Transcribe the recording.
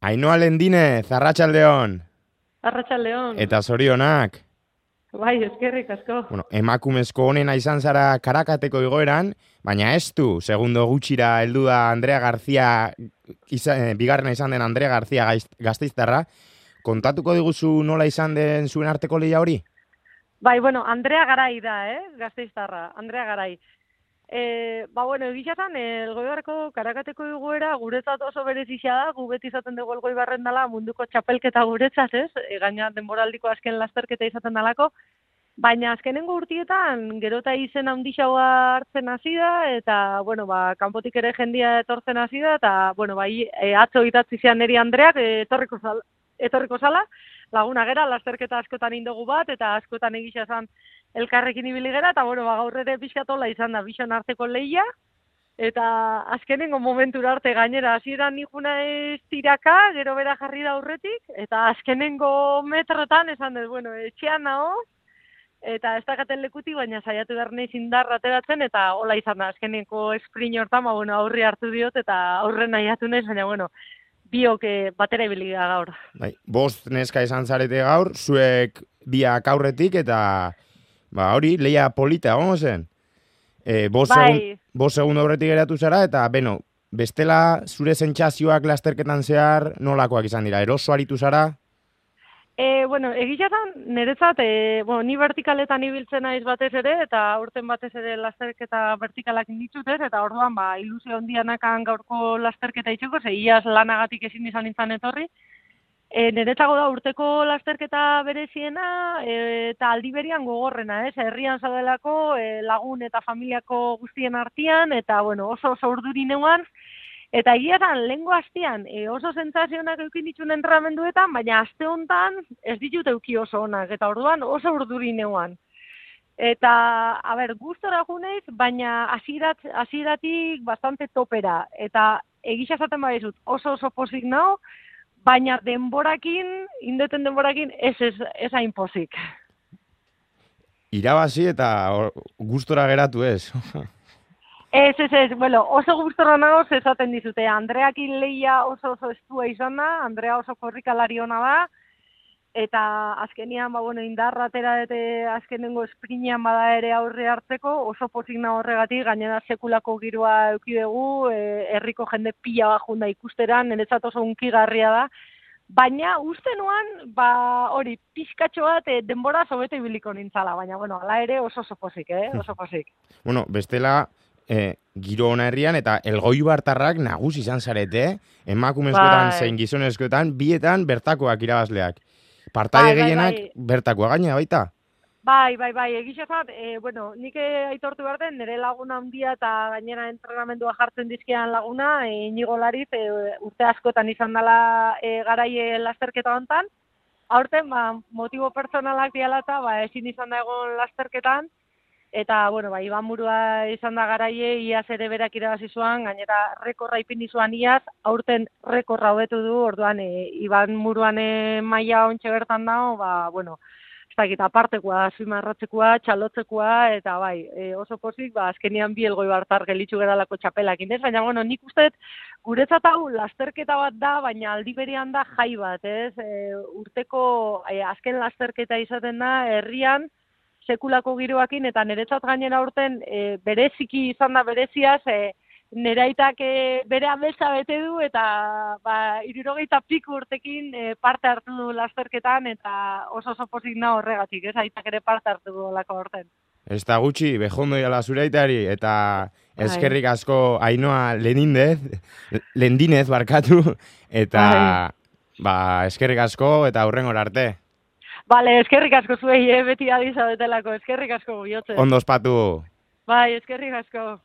Ainhoa Lendinez, Arratsaldeon. Arratsaldeon. Eta zorionak. Bai, eskerrik asko. Bueno, emakumezko honena izan zara Karakateko igoeran, baina ez du, segundo gutxira heldu da Andrea García, bigarrena izan den Andrea García Gasteiztarra. Kontatuko diguzu nola izan den zuen arteko lehia hori? Bai, bueno, Andrea Garai da, Gasteiztarra, Andrea Garai. Egia esan, Elgoibarreko Karakateko igoera guretzat oso berezia da, gu beti izaten dugu Elgoibarren dela munduko txapelketa guretzat, ez? Gaina denboraldiko azken lasterketa izaten dalako, baina azkenengo urtietan gero eta izen handixagoa hartzen hasi da, eta, kanpotik ere jendia etortzen hasi da, eta, atzo idatzi zian neri Andreak, etorriko zala, laguna gera, lasterketa askotan indogu bat, eta askotan egisa esan elkarrekin ibili gera, eta gaur ere pixkatola izan da, bixon arteko lehia, eta azkenengo momentura arte gainera, hasieran nijuna ez tiraka, gero bera jarri da aurretik, eta azkenengo metrotan esan dut, etxean naho, eta ez dakaten lekutik, baina saiatu behar nahi zindarra ateratzen, eta hola izan da, azkenengo sprint hortan, aurri hartu diot, eta aurren nahiatu nahi, baina, biok batera ibili da gaur. Bai, 5 neska izan zarete gaur, zuek biak aurretik, eta hori, lehia polita, gongo zen? 5 segundo aurretik geratu zara, eta, bestela zure sentsazioak lasterketan zehar nolakoak izan dira, eroso aritu zara? Egitetan, niretzat, ni vertikaletan ibiltzen naiz batez ere, eta aurten batez ere lasterketa vertikalak inditzutez, eta orduan, ilusio handianakan gaurko lasterketa itxeko, iaz lanagatik ezin izan nintzen etorri. Niretzago da urteko lasterketa bereziena, eta aldi berian gogorrena, herrian zaudelako, lagun eta familiako guztien artean, eta, oso urduri neuan, eta egiatan, lehengo hastian, oso sentsazionak eukin dituen entrenamenduetan, baina aste hontan ez ditut euki oso onak, eta orduan oso urduri neuan. Eta, gustora juneiz, baina hasieratik bastante topera, eta egisa esaten badizut oso pozik nao, baina indeten denborakin ez hain pozik. Irabazi eta gustora geratu ez. Ez, oso gustora nago esaten dizute. Andreakin lehia oso estua izan da, Andrea oso korrikalari ona da, eta azkenian, indarra atera dute azkenengo esprinean bada ere aurre hartzeko, oso pozik nago horregatik, gainera sekulako giroa eduki dugu, herriko jende pila bat junda ikusteran, niretzat oso hunkigarria da, baina uste nuan, hori, pixkatxo bat denbora sobete ibiliko nintzala, baina, ala ere oso pozik, oso pozik. Bestela, giro ona herrian, eta Elgoibartarrak nagusi izan zarete, emakumezkoetan zein gizonezkoetan, bietan bertakoak irabazleak. Partaide gehienak bertakoa gaina baita? Bai, egizazat, nik aitortu behar den, nire laguna handia eta gainera entrenamendua jartzen dizkian laguna, Inigo Lariz, urte askotan izan dela garaie lasterketa hontan. Aurten, motibo personalak dialata, ezin izan da egon lasterketan, eta, Iban Murua izan da garaie, iaz ere berak irabazi zuan, gainera rekorra ipini zuan iaz, aurten rekorra hobetu du, orduan, Iban Muruan maila ontxe bertan dago, ez dakit, apartekoa, azpimarratzekoa, txalotzekoa, eta oso pozik, azkenian bi Elgoibartar gelitzu geralako txapelak indez, baina, nik uste guretzat hau lasterketa bat da, baina aldi berean da jai bat, ez? Urteko azken lasterketa izaten da, herrian, sekulako giroakin, eta niretzat gainera urten bereziki izan da bereziaz, neraitak bere ametsa bete du, eta 60 piku urtekin parte hartu du lasterketan, eta oso pozik nago horregatik, ez? Aitak ere parte hartu du lako horten. Ez da gutxi, bejondo jala zure aitari, eta eskerrik asko Ainhoa Lendinez barkatu, eta eskerrik asko, eta hurrengor arte. Bale, eskerrik asko zuei, beti adizabetelako, eskerrik asko bihotze. Ondo ospatu. Bai, eskerrik asko.